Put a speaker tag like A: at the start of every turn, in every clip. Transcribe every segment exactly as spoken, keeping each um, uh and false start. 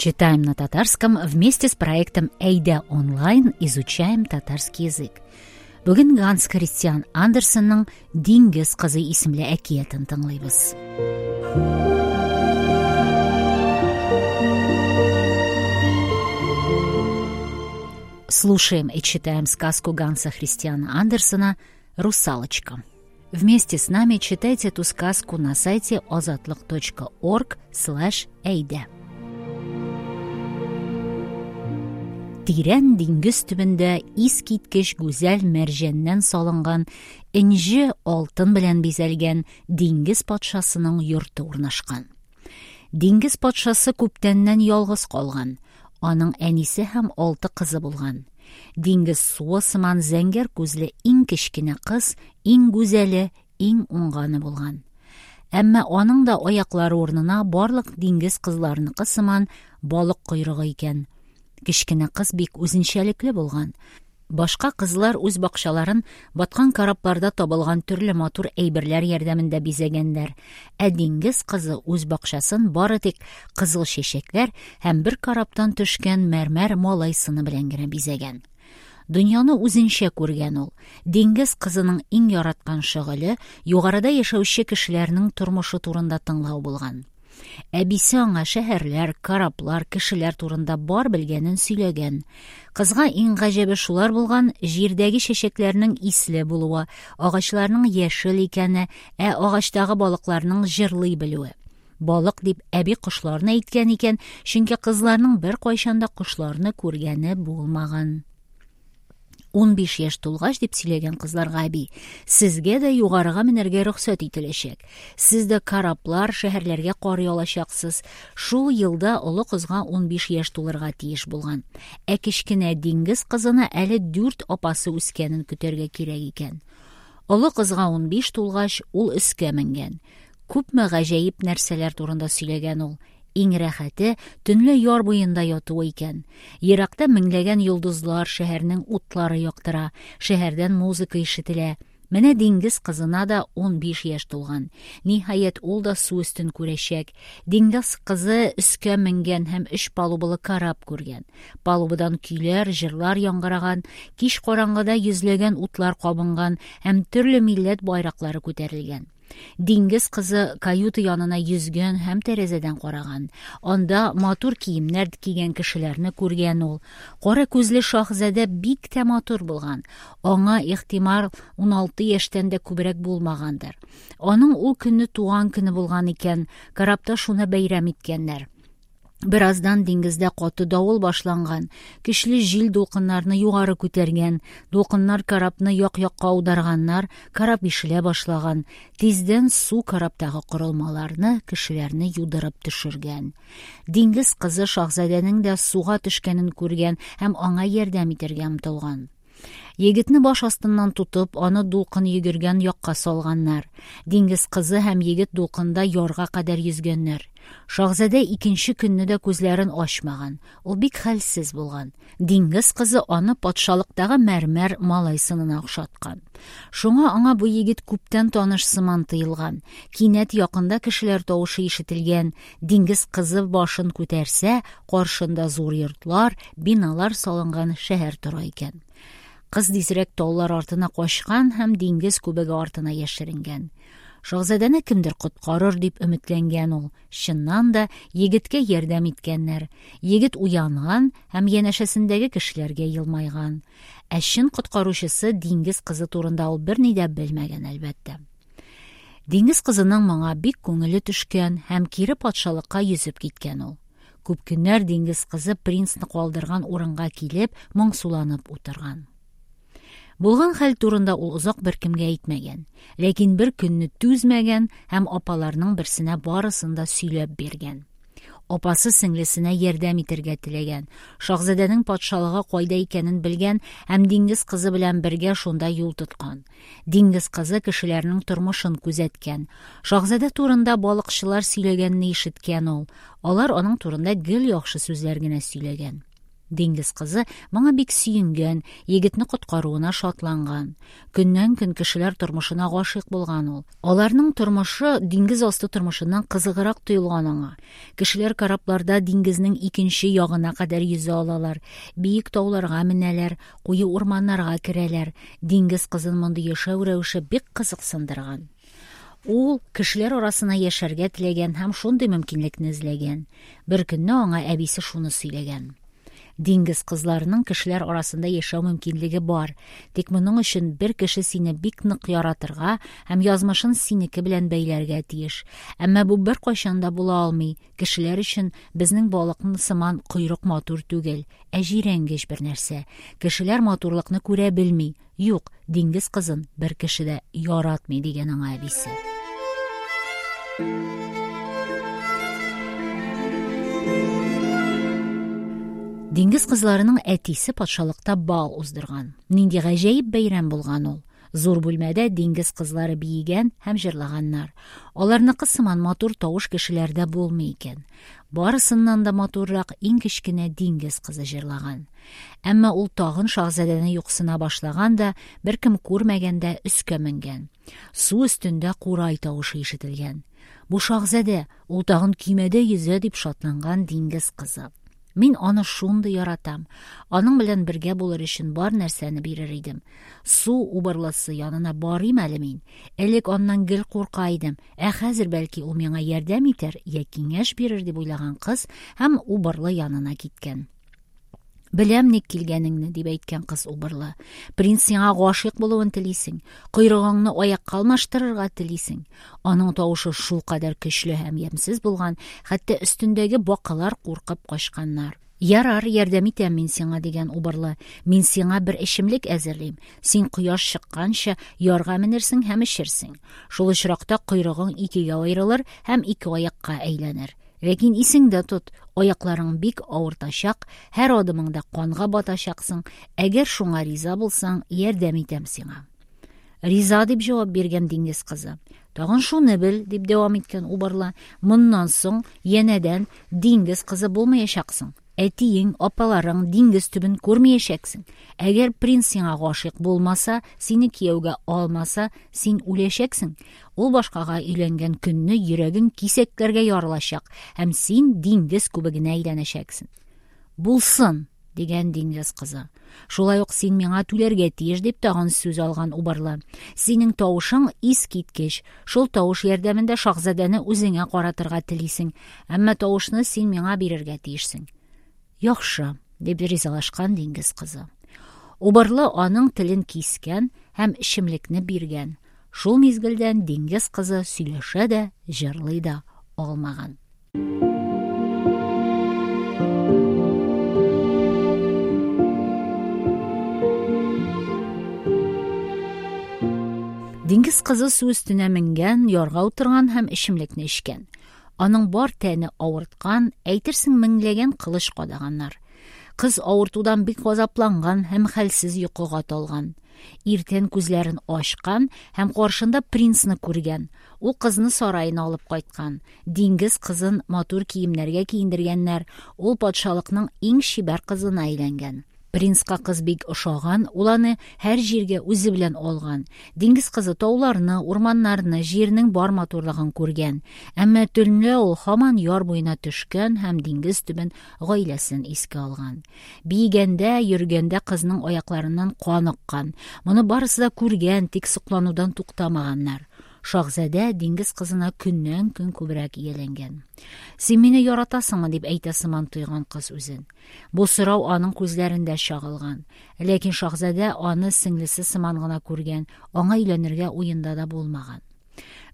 A: Читаем на татарском вместе с проектом «Әйдә онлайн» изучаем татарский язык. Бүген Ганс Христиан Андерсенның «Диңгез кызы» исемле әкиятен тыңлыйбыз. Слушаем и читаем сказку Ганса Христиана Андерсена «Русалочка». Вместе с нами читайте эту сказку на сайте озатлык точка орг слэш әйдә. Тирән диңгез төбендә искиткеч гүзәл мәрҗәннән салынган, энҗе алтын белән бизәлгән диңгез патшасының йорты урнашкан. Диңгез патшасы күптәннән ялгыз калган. Аның әнисе һәм алты кызы булган. Диңгез суы сыман зәңгәр күзле иң кечкенә кыз, иң гүзәле, иң уңганы булган. Әмма аның да аяклары урынына барлык диңгез кызларыныкы сыман балык койрыгы икән. Кечкенә кыз бик үзенчәлекле булган. Башка кызлар үз бакчаларын баткан корабларда табылган төрле матур әйберләр ярдәмендә бизәгәннәр. Ә диңгез кызы үз бакчасын бары тик кызыл чәчәкләр һәм бер корабтан төшкән мәрмәр малай сыны белән генә бизәгән. Дөньяны үзенчә күргән ул. Диңгез кызының иң яраткан шөгыле югарыда яшәүче кешеләрнең тормышы турында тыңлау булган. Әбисе аңа шәһәрләр, кораблар, кешеләр турында бар белгәнен сөйләгән. Кызга иң гаҗәбе шулар булган: җирдәге чәчәкләрнең исле булуы, агачларның яшел икәне, ә агачтагы балыкларның җырлый белүе. Балык дип әби кошларны әйткән икән, чөнки кызларның бер кайчан да кошларны күргәне булмаган. Ун биш яшь тулгач, дип сөйләгән кызларга әби, сезгә дә югарыга менәргә рөхсәт ителәчәк. Сез дә кораблар, шәһәрләргә карый алачаксыз. Шул елда олы кызга ун биш яшь тулырга тиеш булган. Ә кечкенә диңгез кызына әле дүрт апасы үскәнен көтәргә кирәк икән. Олы кызга ун биш тулгач, ул өскә менгән. Күпме гаҗәеп нәрсәләр турында сөйләгән ул. Иң рәхәте төнлә яр буенда ятуы икән. Еракта меңләгән йолдызлар, шәһәрнең утлары яктыра, шәһәрдән музыка ишетелә. Менә диңгез кызына да ун биш яшь тулган. Ниһаять, ул да су өстен күрәчәк. Диңгез кызы өскә менгән һәм өч палубалы кораб күргән. Палубадан көйләр, җырлар яңгыраган, кич караңгыда йөзләгән утлар кабынган һәм төрле милләт байраклары күтәрелгән. Диңгез кызы каюта янына йөзгән һәм тәрәзәдән караган. Анда матур киемнәр кигән кешеләрне күргән ул. Кара күзле шаһзадә бик тә матур булган. Аңа ихтимал ун алты яшьтән дә күбрәк булмагандыр. Аның ул көнне туган көне булган икән. Корабта шуны бәйрәм иткәннәр. Бераздан диңгездә каты давыл башланган. Көчле җил дулкыннарны югары күтәргән. Дулкыннар корабны як-якка аударганнар, кораб ишелә башлаган. Тиздән су корабтагы корылмаларны, кешеләрне юдырып төшергән. Диңгез кызы шаһзадәнең дә суга төшкәнен күргән һәм аңа ярдәм итәргә омтылган. Егетне баш астыннан тотып, аны дулкын йөгергән якка салганнар. Диңгез кызы һәм егет дулкында ярга кадәр йөзгәннәр. Шаһзадә икенче көнне дә күзләрен ачмаган. Ул бик хәлсез булган. Диңгез кызы аны патшалыктагы мәрмәр малай сынына охшаткан. Шуңа аңа бу егет күптән таныш сыман тоелган. Кинәт якында кешеләр тавышы ишетелгән. Диңгез кызы башын күтәрсә, каршында зур йортлар, биналар салынган шәһәр тора икән. Кыз тизрәк таулар артына качкан һәм диңгез күбеге артына яшеренгән. Шаһзадәне кемдер коткарыр дип өметләнгән ул. Чыннан да егеткә ярдәм иткәннәр. Егет уянган һәм янәшәсендәге кешеләргә елмайган. Ә чын коткаручысы диңгез кызы турында ул берни дә белмәгән, әлбәттә. Диңгез кызының моңа бик күңеле төшкән һәм кире патшалыкка йөзеп киткән ул. Күп көннәр диңгез кызы принцны калдырган урынга килеп, моңсуланып утырган. Булган хәл турында ул озак беркемгә әйтмәгән, ләкин бер көнне түзмәгән һәм апаларының берсенә барысын да сөйләп биргән. Апасы сеңлесенә ярдәм итәргә теләгән, шаһзадәнең патшалыгы кайда икәнен белгән һәм диңгез кызы белән бергә шунда юл тоткан. Диңгез кызы кешеләрнең тормышын күзәткән. Шаһзадә турында балыкчылар сөйләгәнне ишеткән ул. Алар аның турында гел яхшы сүзләр генә сөйләгән. Диңгез кызы моңа бик сөенгән, егетне коткаруына шатланган. Көннән-көн кешеләр тормышына гашыйк булган ул. Аларның тормышы диңгез асты тормышыннан кызыграк тоелган аңа. Кешеләр корабларда диңгезнең икенче ягына кадәр йөзә алалар, биек тауларга менәләр, куе урманнарга керәләр. Диңгез кызын мондый яшәү рәвеше бик кызыксындырган. Ул кешеләр арасына яшәргә теләгән һәм шундый мөмкинлекне эзләгән. Бер көнне аңа әбисе шуны сөйләгән. Диңгез кызларының кешеләр арасында яшәү мөмкинлеге бар. Тик моның өчен бер кеше сине бик нык яратырга һәм язмышын синеке белән бәйләргә тиеш. Әмма бу беркайчан да була алмый. Кешеләр өчен безнең балыкны сыман койрык матур түгел, ә җирәнгеч бер нәрсә. Кешеләр матурлыкны күрә белми. Юк, диңгез кызын бер кеше дә яратмый, дигән аңа әбисе. Диңгез кызларының әтисе патшалыкта бал уздырган. Нинди гаҗәеп бәйрәм булган ул! Зур бүлмәдә диңгез кызлары биегән һәм җырлаганнар. Аларныкы сыман матур тавыш кешеләрдә булмый икән. Барысыннан да матуррак иң кечкенә диңгез кызы җырлаган. Әмма ул тагын шаһзадәне юксына башлаган да, беркем күрмәгәндә өскә менгән. Су өстендә курай тавышы ишетелгән. Бу шаһзадә, ул тагын көймәдә йөзә, дип шатланган диңгез кызы. Мин аны шундый яратам. Аның белән бергә булыр өчен бар нәрсәне бирер идем. Су убырлысы янына барыйм әле мин. Элек аннан гел курка идем. Ә хәзер бәлки ул миңа ярдәм итәр я киңәш бирер, дип уйлаган кыз һәм убырлы янына киткән. Беләм ник килгәнеңне, дип әйткән кыз убырлы. Принц сиңа гашыйк булуын телисең. Койрыгыңны аякка алмаштырырга телисең. Аның тавышы шулкадәр көчле һәм ямьсез булган, хәтта өстендәге бакалар куркып качканнар. Ярар, ярдәм итәм мин сиңа, дигән убырлы. Мин сиңа бер эчемлек әзерлим. Син кояш чыкканча ярга менерсең һәм эчерсең. Шул очракта койрыгың икегә аерылыр һәм ике аякка әйләнер. Ләкин исеңдә тот, аякларың бик авыртачак, һәр адымыңда канга батачаксың. Әгәр шуңа риза булсаң, ярдәм итәм сиңа. Риза, дип җавап биргән диңгез кызы. Тагын шуны бел, дип дәвам иткән убырлы. Моннан соң янәдән диңгез кызы булмаячаксың. Әтиең, апаларың диңгез төбен күрмәячәксең. Әгәр принц сиңа гашыйк булмаса, сине кияүгә алмаса, син үләчәксең. Ул башкага өйләнгән көнне йөрәгең кисәкләргә ярылачак һәм син диңгез күбегенә әйләнәчәксең. Булсын, дигән диңгез кызы. Шулай ук син миңа түләргә тиеш, дип тагын сүз алган убырлы. Синең тавышың искиткеч. Шул тавыш ярдәмендә шаһзадәне үзеңә каратырга телисең. Әмма тавышны син миңа бирергә тиешсең. Яхшы, дип ризалашкан диңгез кызы. Убырлы аның телен кискән һәм эчемлекне биргән. Шул мизгелдән диңгез кызы сөйләшә дә, җырлый да алмаган. Диңгез кызы су өстенә менгән, ярга утырган һәм эчемлекне эчкән. Аның бар тәне авырткан, әйтерсең меңләгән кылыч кадаганнар. Кыз авыртудан бик газапланган һәм хәлсез йокыга талган. Иртән күзләрен ачкан һәм каршында принцны күргән. Ул кызны сараена алып кайткан. Диңгез кызын матур киемнәргә киендергәннәр. Ул патшалыкның иң чибәр кызына әйләнгән. Принцка кыз бик ошаган, ул аны һәр җиргә үзе белән алган. Диңгез кызы тауларны, урманнарны, җирнең бар матурлыгын күргән. Әмма төнлә ул һаман яр буена төшкән һәм диңгез төбен, гаиләсен искә алган. Биегәндә, йөргәндә кызның аякларыннан кан аккан. Моны барысы да күргән, тик сокланудан туктамаганнар. Шаһзадә диңгез кызына көннән-көн күбрәк ияләнгән. Син мине яратасыңмы, дип әйтә сыман тойган кыз үзен. Бу сорау аның күзләрендә чагылган. Ләкин шаһзадә аны сеңлесе сыман гына күргән, аңа өйләнергә уенда да булмаган.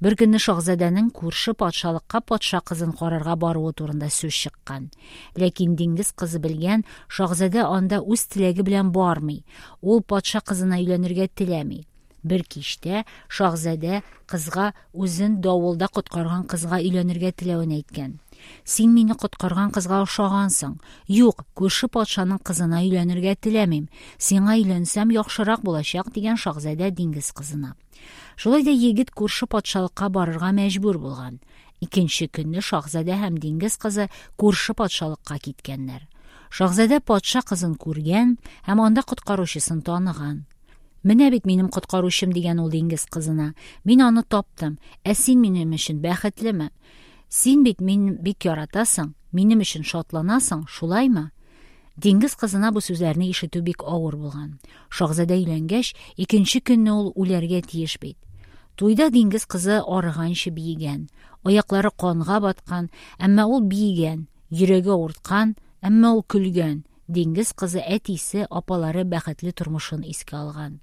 A: Бер көнне шаһзадәнең күрше патшалыкка патша кызын карарга баруы турында сүз чыккан. Ләкин диңгез кызы белгән, шаһзадә анда үз теләге белән бармый. Ул патша кызына өйләнергә теләми. Бер кичтә шаһзадә кызга үзен давылда коткарган кызга өйләнергә теләвен әйткән. Син мине коткарган кызга ошагансың. Юк, күрше патшаның кызына өйләнергә теләмим. Сиңа өйләнсәм яхшырак булачак, дигән шаһзадә диңгез кызына. Шулай да егет күрше патшалыкка барырга мәҗбүр булган. Икенче көнне шаһзадә һәм диңгез кызы күрше патшалыкка киткәннәр. Шаһзадә патша кызын күргән һәм анда коткаручысын таныган. «Менә бит минем коткаручым», – дигән ул диңгез кызына. «Мин аны таптым. Ә син минем өчен бәхетлеме? Син бит мине бик яратасың, минем өчен шатланасың, шулаймы?» Диңгез кызына бу сүзләрне ишетү бик авыр булган. Шаһзадә өйләнгәч, икенче көнне ул үләргә тиеш бит. Туйда диңгез кызы арыганчы биегән. Аяклары канга баткан, әмма ул биегән. Йөрәге авырткан, әмма ул көлгән. Диңгез кызы әтисе, апалары бәхетле тормышын искә алган.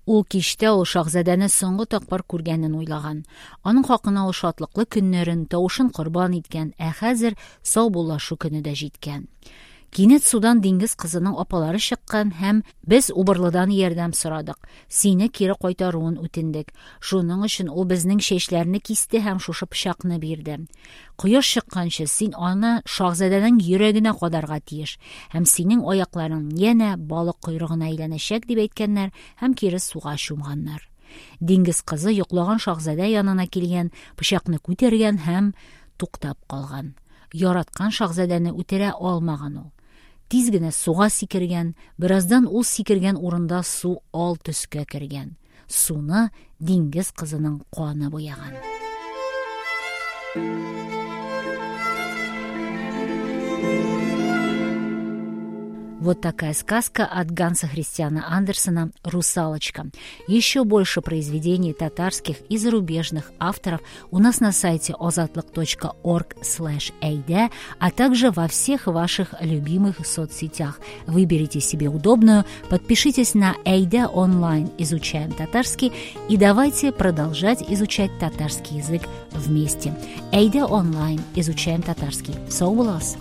A: Ул кичтә ул шаһзадәне соңгы тапкыр күргәнен уйлаган. Аның хакына ул шатлыклы көннәрен, тавышын корбан иткән, ә хәзер саубуллашу көне дә җиткән. Кинәт судан диңгез кызының апалары чыккан һәм без убырлыдан ярдәм сорадык. Сине кире кайтаруын үтендек. Шуның өчен ул безнең чәчләрне кисте һәм шушы пычакны бирде. Кояш чыкканчы син аны шаһзадәнең йөрәгенә кадарга тиеш һәм синең аякларың янә балык койрыгына әйләнәчәк, дип әйткәннәр һәм кире суга чумганнар. Диңгез кызы йоклаган шаһзадә янына килгән, пычакны күтәргән һәм туктап калган. Яраткан шаһзадәне үтерә алмаган ул. Тиз генә суга сикергән, бераздан ул сикергән урында су ал төскә кергән. Суны диңгез кызының каны буяган. Вот такая сказка от Ганса Христиана Андерсена «Русалочка». Еще больше произведений татарских и зарубежных авторов у нас на сайте озатлык точка орг слэш эйдэ, а также во всех ваших любимых соцсетях. Выберите себе удобную, подпишитесь на Әйдә онлайн «Изучаем татарский» и давайте продолжать изучать татарский язык вместе. Әйдә онлайн «Изучаем татарский». Сау булыгыз!